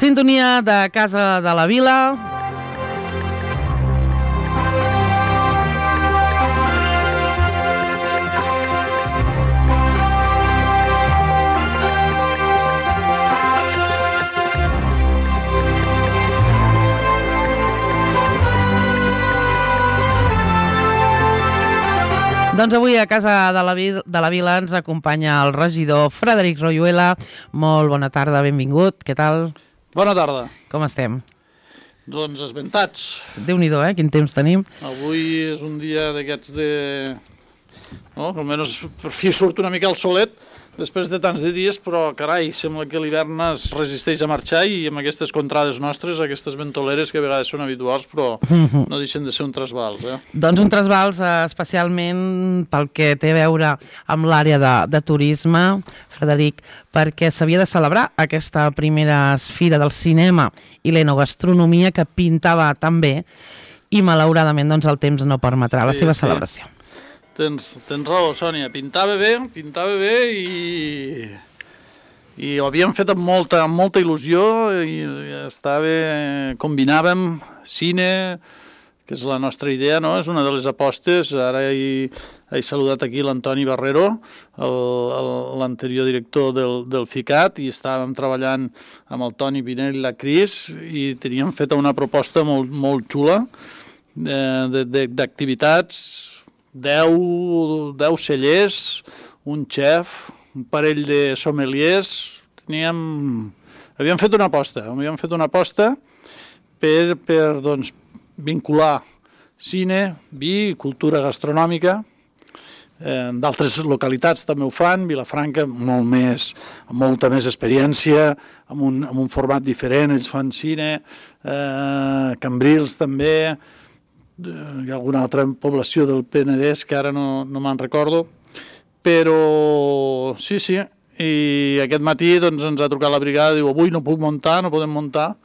Sintonia de Casa de la Vila. Doncs avui a Casa de la Vila ens acompanya el regidor Frederic Royuela. Molt bona tarda, benvingut. Què tal? Bona tarda. Com estem? Doncs esventats. Déu-n'hi-do, quin temps tenim. Avui és un dia d'aquests de... No? Almenys per fi surt una mica el solet després de tants de dies, però carai, sembla que l'hivern es resisteix a marxar i amb aquestes contrades nostres, aquestes ventoleres que a vegades són habituals, però no deixen de ser un trasbals. Doncs un trasbals especialment pel que té a veure amb l'àrea de turisme, Frederic, perquè s'havia de celebrar aquesta primera fira del cinema i l'enogastronomia que pintava tan bé i malauradament doncs, el temps no permetrà la seva celebració. Tens raó, Sònia, pintava bé i ho havíem fet amb molta il·lusió i combinàvem cine, que és la nostra idea, no? És una de les apostes. Ara he saludat aquí l'Antoni Barrero, l'anterior director del FICAT, i estàvem treballant amb el Toni Pinell i la Cris i teníem feta una proposta molt xula d'activitats, 10 cellers, un xef, un parell de sommeliers. Havíem fet una aposta per vincular cine, vi, cultura gastronòmica. D'altres localitats també ho fan, Vilafranca amb molta més experiència, amb un format diferent, ells fan cine, Cambrils també, hi ha alguna altra població del Penedès que ara no me'n recordo, però sí, i aquest matí doncs, ens ha trucat la brigada, diu avui no podem muntar,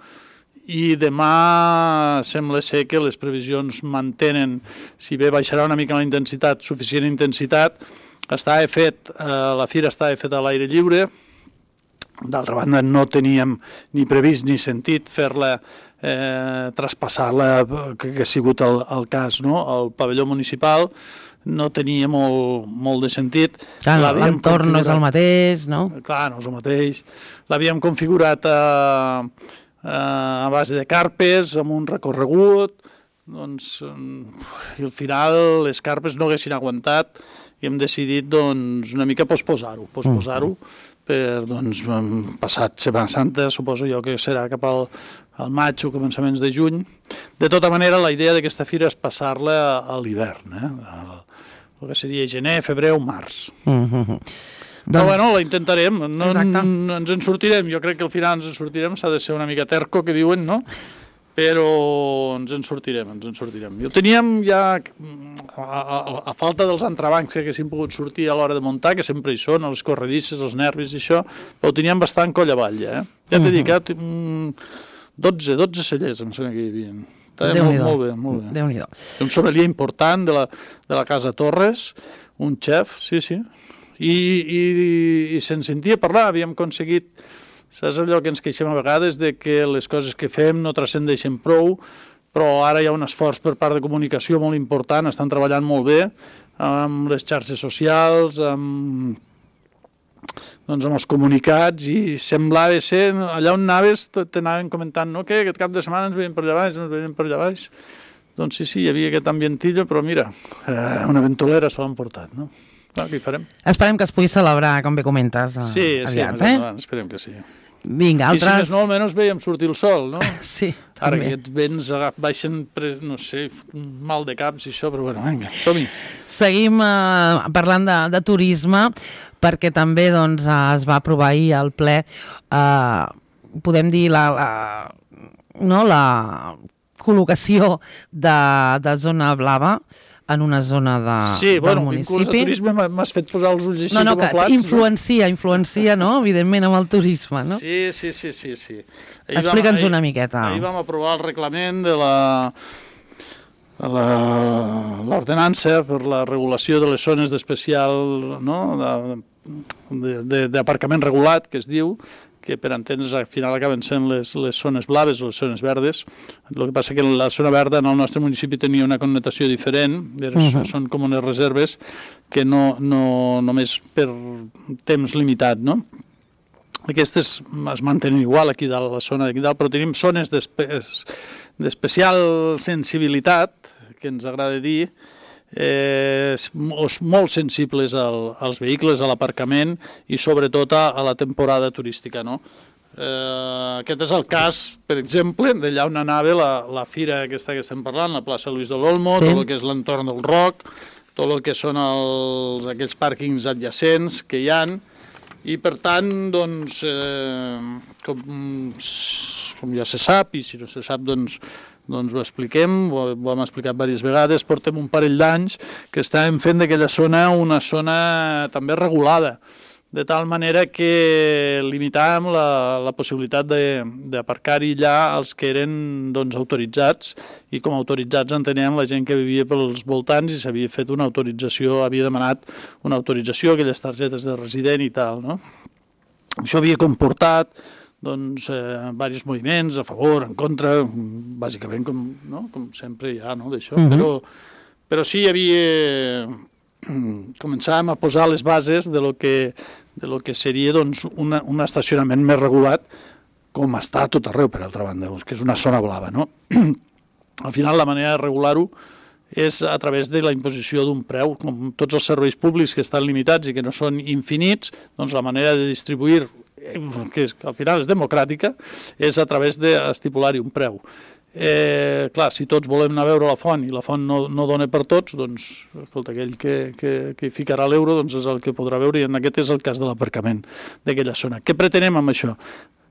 i demà sembla ser que les previsions mantenen, si bé baixarà una mica la intensitat, suficient intensitat. La fira estava feta a l'aire lliure. D'altra banda, no teníem ni previst ni sentit fer-la, traspassar-la, que ha sigut el cas, no? El pavelló municipal no tenia molt de sentit. Clar, l'entorn no és el mateix, no? Clar, no és el mateix. L'havíem configurat a base de carpes, amb un recorregut, doncs, i al final les carpes no haguessin aguantat i hem decidit doncs, una mica posposar-ho, doncs, passat Setmana Santa, suposo jo que serà cap al maig o començaments de juny. De tota manera, la idea d'aquesta fira és passar-la a l'hivern, el que seria gener, febrer o març. Però bueno, la intentarem, no ens en sortirem, jo crec que al final ens en sortirem, s'ha de ser una mica terco, que diuen, no? Però ens en sortirem. Jo teníem ja, a falta dels entrebancs que haguessin pogut sortir a l'hora de muntar, que sempre hi són, les corredisses, els nervis i això, però ho teníem bastant coll avall, Ja t'he dit, 12 cellers, em sembla que hi havia. Molt bé. Déu-n'hi-do. Un sommelier important de la Casa Torres, un xef, sí. I se'n sentia parlar, havíem aconseguit, saps allò que ens queixem a vegades, de que les coses que fem no transcendeixen prou, però ara hi ha un esforç per part de comunicació molt important, estan treballant molt bé amb les xarxes socials, amb els comunicats, i semblava ser, allà on anaves t'anaven comentant, no, que aquest cap de setmana ens veiem per allà baix, doncs sí, hi havia aquest ambientillo, però mira, una ventolera se l'han portat, no? Què hi farem? Esperem que es pugui celebrar, com bé comentes, aviat, més endavant, esperem que sí. Vinga, altres... I si més no, almenys veiem sortir el sol, no? Sí, també. Ara aquests vents baixen, no sé, mal de caps i això, però bueno, vinga, som-hi. Seguim parlant de turisme, perquè també doncs, es va aprovar ahir al ple, podem dir, la col·locació de zona blava en una zona del municipi. Sí, vinculats a turisme m'has fet posar els ulls així com a plats. Influencia, no?, evidentment, amb el turisme, no? Sí. Explica'ns una miqueta. Ahir vam aprovar el reglament de l'ordenança per la regulació de les zones d'especial, no?, d'aparcament regulat, que es diu, que per entendre's al final acaben sent les zones blaves o les zones verdes. El que passa que la zona verda en el nostre municipi tenia una connotació diferent, són com unes reserves que no només per temps limitat, no? Aquestes es mantenen igual aquí dalt, la zona d'aquí dalt, però tenim zones d'especial sensibilitat, que ens agrada dir, molt sensibles als vehicles, a l'aparcament i sobretot a la temporada turística, no? Aquest és el cas, per exemple, d'allà on anava la fira aquesta que estem parlant, la plaça Luis de l'Olmo, tot el que és l'entorn del Roc, tot el que són aquells pàrquings adjacents que hi ha, i per tant, doncs, com ja se sap, i si no se sap, doncs ho expliquem, ho hem explicat diverses vegades, portem un parell d'anys que estàvem fent d'aquella zona una zona també regulada, de tal manera que limitàvem la possibilitat d'aparcar-hi allà els que eren autoritzats, i com a autoritzats entenem la gent que vivia pels voltants i s'havia fet una autorització, havia demanat una autorització, aquelles targetes de resident i tal, no? Això havia comportat diversos moviments a favor, en contra, bàsicament com sempre hi ha, d'això, però sí hi havia... Començàvem a posar les bases de lo que seria un estacionament més regulat, com està a tot arreu, per altra banda, que és una zona blava, no? Al final, la manera de regular-ho és a través de la imposició d'un preu. Com tots els serveis públics que estan limitats i que no són infinits, doncs la manera de distribuir, que al final és democràtica, és a través d'estipular-hi un preu. Clar, si tots volem anar a veure la font i la font no dona per tots, doncs, escolta, aquell que ficarà l'euro doncs és el que podrà veure, i en aquest és el cas de l'aparcament d'aquella zona. Què pretenem amb això?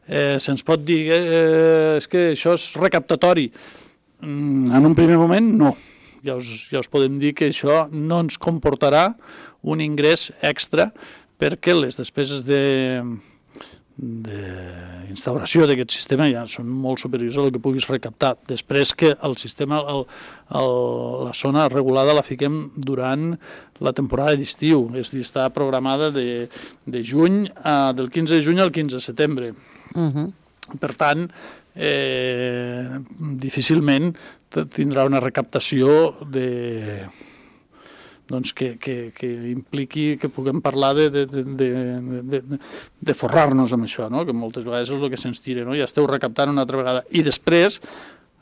Se'ns pot dir és que això és recaptatori. En un primer moment, no. Ja us podem dir que això no ens comportarà un ingrés extra, perquè les despeses d'instauració d'aquest sistema ja són molt superiors a el que puguis recaptar. Després que el sistema, la zona regulada la fiquem durant la temporada d'estiu, és a dir, està programada de juny, del 15 de juny al 15 de setembre. Per tant, difícilment tindrà una recaptació que impliqui que puguem parlar de forrar-nos amb això, no? Que moltes vegades és el que se'ns tira, no? Ja esteu recaptant una altra vegada. I després,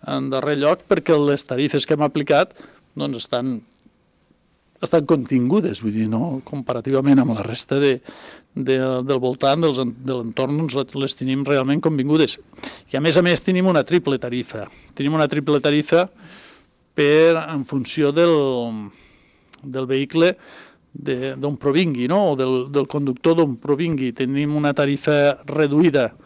en darrer lloc, perquè les tarifes que hem aplicat doncs estan estan contingudes, vull dir, no? Comparativament amb la resta del voltant, de l'entorn, doncs les tenim realment convingudes. I a més tenim una triple tarifa. Tenim una triple tarifa en funció del vehicle d'on provingui, no? O del conductor d'on provingui. Tenim una tarifa reduïda,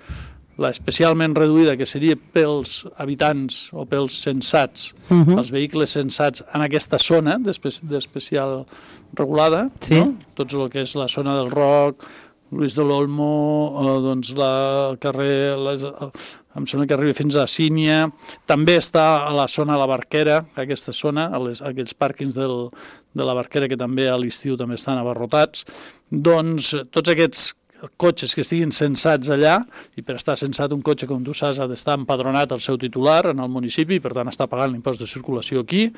especialment reduïda, que seria pels habitants o pels censats, els vehicles censats en aquesta zona d'especial regulada, no? Tot el que és la zona del Roc, Luis de l'Olmo, doncs el carrer, em sembla que arriba fins a Sínia, també està a la zona de la Barquera, aquesta zona, aquells pàrquings de la Barquera que també a l'estiu també estan abarrotats, doncs tots aquests cotxes que estiguin censats allà, i per estar censat un cotxe, com tu saps, ha d'estar empadronat el seu titular en el municipi, i per tant està pagant l'impost de circulació aquí,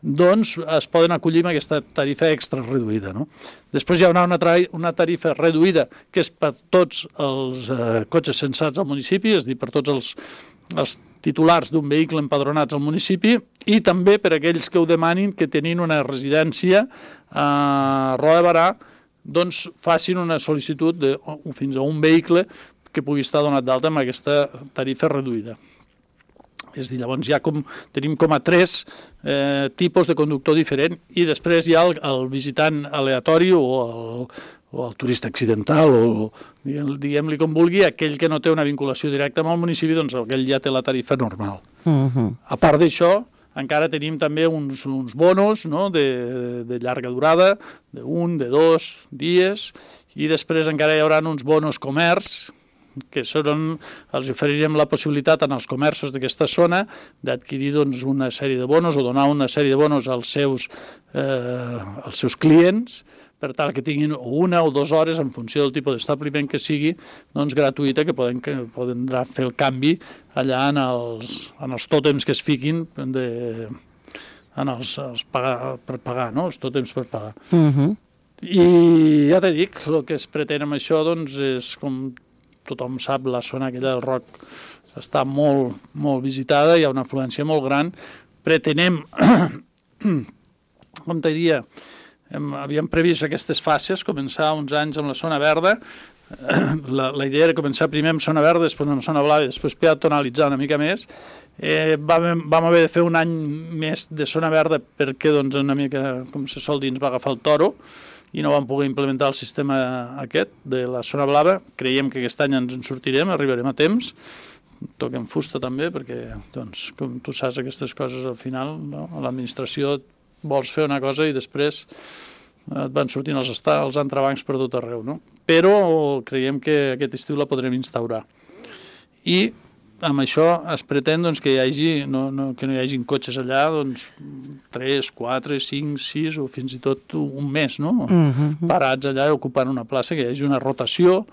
doncs es poden acollir amb aquesta tarifa extra reduïda, no? Després hi haurà una tarifa reduïda que és per tots els cotxes censats al municipi, és a dir, per tots els titulars d'un vehicle empadronats al municipi, i també per aquells que ho demanin, que tenint una residència a Roda de Berà, doncs facin una sol·licitud fins a un vehicle que pugui estar donat d'alta amb aquesta tarifa reduïda. És a dir, llavors tenim com a 3 tipus de conductor diferent, i després hi ha el visitant aleatori o el turista accidental, o diguem-li com vulgui, aquell que no té una vinculació directa amb el municipi, doncs aquell ja té la tarifa normal. A part d'això, encara tenim també uns bonos, no?, de llarga durada, d'1, de 2 dies, i després encara hi haurà uns bonos comerç, que els oferirem la possibilitat als comerços d'aquesta zona d'adquirir una sèrie de bonos o donar una sèrie de bonos als seus clients, per tal que tinguin 1 o 2 hores, en funció del tipus d'establiment que sigui, doncs gratuïta, que poden fer el canvi allà en els tòtems que es fiquin per pagar, no? Els tòtems per pagar. I ja t'he dit, el que es pretén amb això doncs és, com tothom sap, la zona aquella del Roc està molt, molt visitada, hi ha una afluència molt gran. Pretenem, com te diria, havíem previst aquestes fases, començar uns anys amb la zona verda. La idea era començar primer amb zona verda, després amb zona blava i després peatonalitzar una mica més. Vam haver de fer un any més de zona verda perquè, doncs, una mica, com se sol dir, ens va agafar el toro i no vam poder implementar el sistema aquest de la zona blava. Creiem que aquest any ens en sortirem, arribarem a temps. Toquem fusta també, perquè, doncs, com tu saps, aquestes coses al final, no? A l'administració vols fer una cosa i després et van sortint els entrebancs per tot arreu, no? Però creiem que aquest estiu la podrem instaurar. I amb això es pretén, doncs, que no hi hagi cotxes allà, doncs, 3, 4, 5, 6 o fins i tot un mes, no? Parats allà ocupant una plaça, que hi hagi una rotació,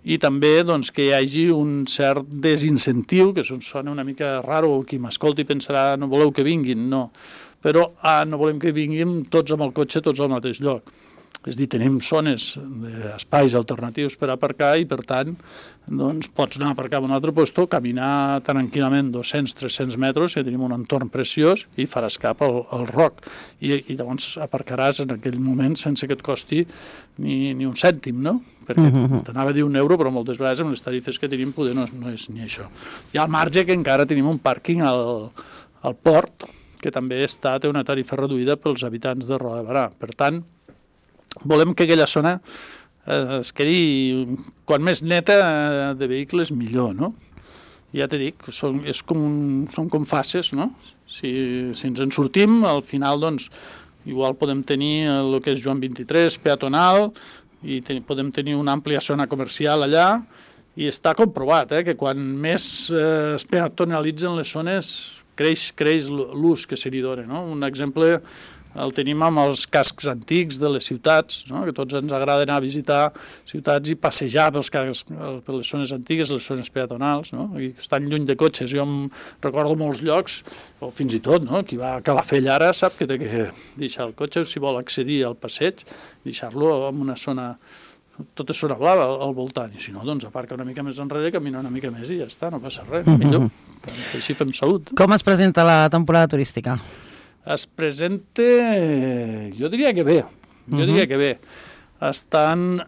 i també, doncs, que hi hagi un cert desincentiu, que sona una mica raro, qui m'escolti pensarà no voleu que vinguin, no. Però no volem que vinguin tots amb el cotxe, tots al mateix lloc. És a dir, tenim zones, espais alternatius per aparcar i, per tant, doncs, pots anar a aparcar en un altre lloc, caminar tranquil·lament 200-300 metres, i tenim un entorn preciós i faràs cap al Roc. I llavors aparcaràs en aquell moment sense que et costi ni un cèntim, no? Perquè t'anava a dir €1, però moltes vegades amb les tarifes que tenim poder no és ni això. Hi ha al marge que encara tenim un pàrquing al port, que també té una tarifa reduïda pels habitants de Roda de Berà. Per tant, volem que aquella zona es quedi quan més neta de vehicles millor, no? Ja t'he dit, són com fases, no? Si ens en sortim, al final, doncs, igual podem tenir el que és Joan 23, peatonal, i podem tenir una àmplia zona comercial allà, i està comprovat, que quan més es peatonalitzen les zones, creix l'ús que se li dona, no? Un exemple el tenim amb els cascs antics de les ciutats, no? Que tots ens agrada anar a visitar ciutats i passejar per les zones antigues, les zones peatonals, no? I estan lluny de cotxes. Jo em recordo molts llocs, o fins i tot, no? Qui va a Calafell ara sap que té que deixar el cotxe, si vol accedir al passeig, deixar-lo en una zona, tota zona blava al voltant, i si no, doncs aparca una mica més enrere, camina una mica més i ja està, no passa res, millor. Així fem salut. Com es presenta la temporada turística? Es presenta, jo diria que bé, Estan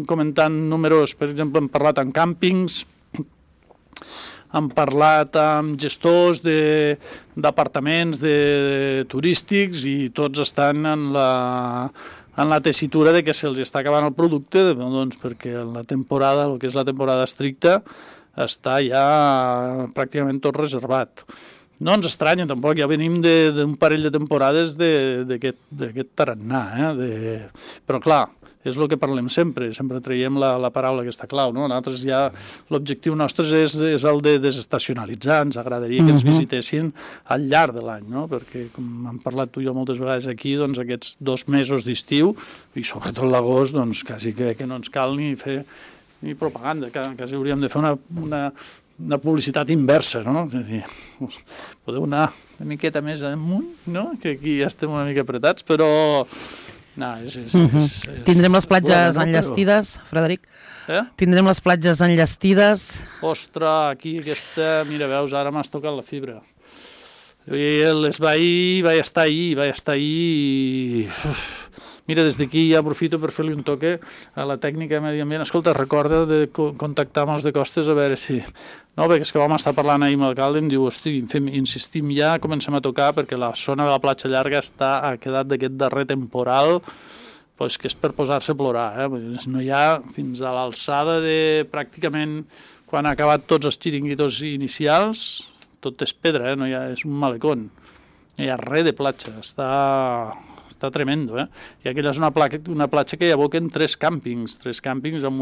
comentant números, per exemple, hem parlat amb càmpings, hem parlat amb gestors d'apartaments turístics i tots estan en la tessitura de que se'ls està acabant el producte, doncs perquè la temporada, el que és la temporada estricta, està ja pràcticament tot reservat. No ens estranya, tampoc, ja venim d'un parell de temporades d'aquest tarannà, però clar, és el que parlem sempre traiem la paraula aquesta clau, no? Nosaltres ja, l'objectiu nostre és el de desestacionalitzar, ens agradaria que ens visitessin al llarg de l'any, no? Perquè, com hem parlat tu i jo moltes vegades aquí, doncs aquests 2 mesos d'estiu, i sobretot l'agost, doncs quasi que no ens cal ni fer ni propaganda, quasi hauríem de fer una publicitat inversa, no? És a dir, podeu anar una miqueta més amunt, no? Que aquí ja estem una mica apretats, però... No, Tindrem les platges enllestides, Frederic? Tindrem les platges enllestides? Ostres, aquí aquesta... Mira, veus, ara m'has tocat la fibra. Vaig estar ahir i... Mira, des d'aquí ja aprofito per fer-li un toque a la tècnica de medi ambient. Escolta, recorda de contactar amb els de Costes a veure si... No, perquè és que vam estar parlant ahir amb l'alcalde i em diu, hosti, insistim ja, comencem a tocar, perquè la zona de la platja llarga ha quedat d'aquest darrer temporal, doncs que és per posar-se a plorar. No hi ha fins a l'alçada de pràcticament quan ha acabat tots els xiringuitos inicials, tot és pedra, no hi ha, és un malecón. No hi ha res de platja, està tremendo, I aquella és una platja que hi aboquen 3 càmpings amb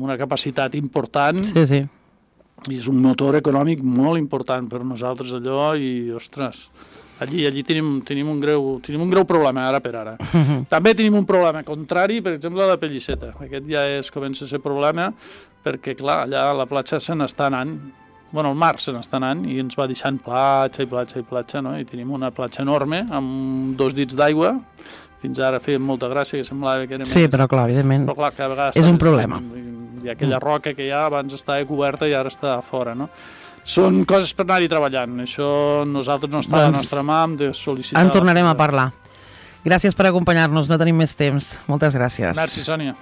una capacitat important. Sí. I és un motor econòmic molt important per nosaltres allò i, ostres, allí tenim un greu problema ara per ara. També tenim un problema contrari, per exemple, a la Pellisseta. Aquest ja comença a ser problema perquè, clar, allà la platja se n'està anant. Bueno, el mar se n'està anant i ens va deixant platja, no? I tenim una platja enorme amb 2 dits d'aigua. Fins ara feien molta gràcia, que semblava que era més... Sí, però clar, evidentment, però, clar, cada vegada és un problema. Hi ha aquella roca que ja abans estava coberta i ara està fora, no? Són coses per anar-hi treballant. Això nosaltres no està a la nostra mà, hem de sol·licitar... En tornarem a parlar. Gràcies per acompanyar-nos, no tenim més temps. Moltes gràcies. Merci, Sònia.